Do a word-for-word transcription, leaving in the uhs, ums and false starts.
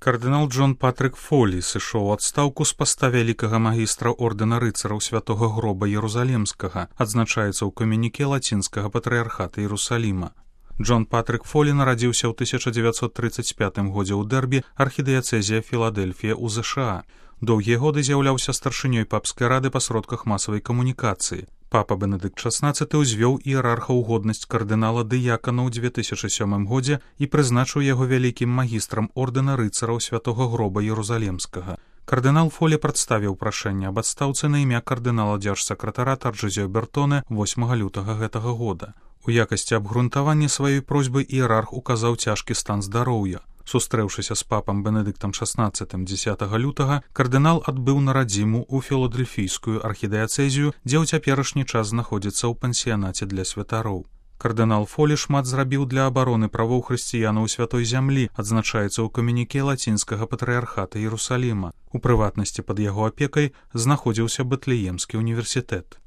Кардынал Джон Патрык Фолі сышоў у адстаўку з паста вялікага магістра ордэна рыцараў святога гроба Ерусалімскага, адзначаецца ў камюніке лацінскага патрыярхата Іерусаліма. Джон Патрык Фолі нарадзіўся ў тысяча дзевяцьсот трыццаць пятым годзе ў Дэрбі, архідыяцэзія Філадэльфія ў ЗША. Доўгія годы з'яўляўся старшынёй папскай рады па сродках масавай камунікацыі. Папа Бенедыкт шаснаццаты ўзвёў іерарха ў годнасць кардынала дыякана ў дзве тысячы сёмым годзе і прызначыў яго вялікім магістрам ордэна рыцараў святога гроба Ерусалімскага. Кардынал Фолі прадставіў прашэнне аб адстаўцы на імя кардынала дзяржсакратара Тарджызіо Бертоне восьмага лютага гэтага года. У якасці абгрунтавання сваёй просьбы іерарх указаў цяжкі стан здароўя. Сустрэўшыся з папам Бенедыктам шаснаццатым дзесятага лютага, кардынал адбыў на радзіму ў філадэльфійскую архідыяцэзію, дзе ў цяперашні час знаходзіцца ў пансіянаце для святароў. Кардынал Фолі шмат зрабіў для абароны правоў хрысціянаў у святой зямлі, адзначаецца ў камюніке лацінскага патрыярхата Іерусаліма. У прыватнасці пад яго апекай знаходзіўся Бэтлеемскі універсітэт.